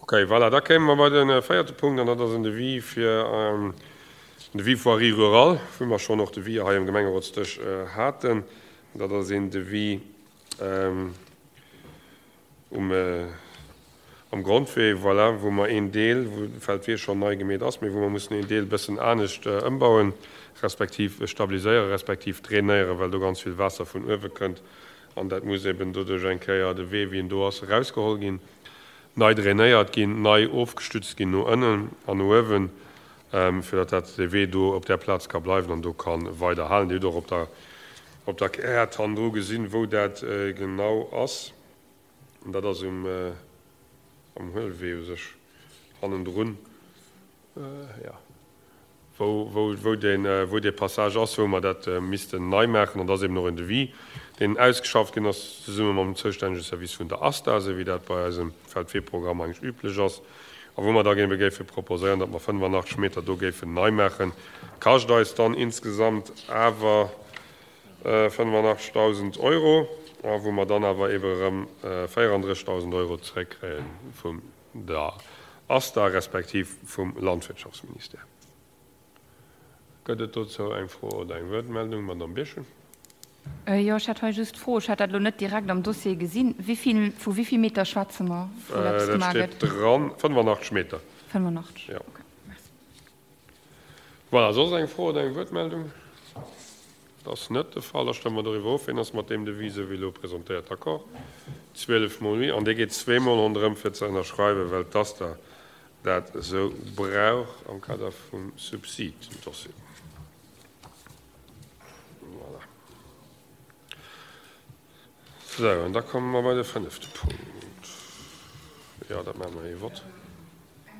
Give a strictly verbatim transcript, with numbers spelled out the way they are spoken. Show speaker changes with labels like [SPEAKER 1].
[SPEAKER 1] Okay, voilà, da kéime mer bei de véierte Punkt, an dat ass en Devis fir en Devis voirie rurale, wou mer schonn och Devis hei am Gemengerotsdësch haten. Dat ass een Devis um am Grondwee, voilà, wou mer een Deel, wou de Feldwee schonn nei gemeet ass, mee wou mer mussen een Deel e bëssen anescht ëmbauen, respektiv stabiliséieren, respektiv drainéieren, well do ganz vill Waasser vun uewe kënnt. An dat muss eben doduerch eng Kéier de Wee, wéi en do ass, erausgeholl ginn, nei drainéiert ginn, nei ofgestützt ginn no ënnen an no uewen, fir datt dat dee Wee do op där Plaz ka bleiwen an do ka weider halen. Dir hutt och op der op der Kaart hannendru gesinn, wou dat genau ass. An dat ass um am Huelwee u sech hannendrun, jo, wou, wou, wou deen, wou dee Passage ass, wou mer dat missten nei maachen. An da ass eben och en Devis, deen ausgeschafft ginn ass, zesumme mam zoustännege Service vun der ASTA, esou wéi dat bei eisem Feldweeprogramm eigentlech üblech ass, a wou mer da ebe géife proposéieren, datt mer fënnefenachtzeg Meter do géifen nei maachen. Kascht eis dann insgesamt awer fënnefenachtzegdausend Euro, a wou mer dann awer ebe erëm véierandrëssigdausend Euro zeréckkréie vun der ASTA respektiv vum Landwirtschaftsministère. Gëtt et dozou eng Fro oder eng Wuertmeldung? Madame Birchen.
[SPEAKER 2] Jo, ech hätt hei just d'Fro, ech hat dat elo net direkt am Dossier gesinn, wéi vill, vu wéi vill Meter schwätze mer, wou eppes
[SPEAKER 1] Dat
[SPEAKER 2] gemaach
[SPEAKER 1] steet
[SPEAKER 2] gëtt?
[SPEAKER 1] dran, fënnefenachtzeg Meter.
[SPEAKER 2] fënnefenachtzeg,
[SPEAKER 1] Ja.
[SPEAKER 2] okay, merci.
[SPEAKER 1] Voilà, soss eng Fro oder eng Wuertmeldung? Dat ass net de Fall. Da stëmme mer doriwwer of. Wien ass mat deem Devis, esou wéi elo presentéiert, d'accord? Zwielef mol oui. An dee geet zweemol ronderëm fir ze ënnerschreiwen, well d'ASTA dat esou brauch am Kader vum Subsid-Dossier. Voilà. Sou, an da komme mer bei de fënnefte Punkt. Jo, dat maache mer ee Vott.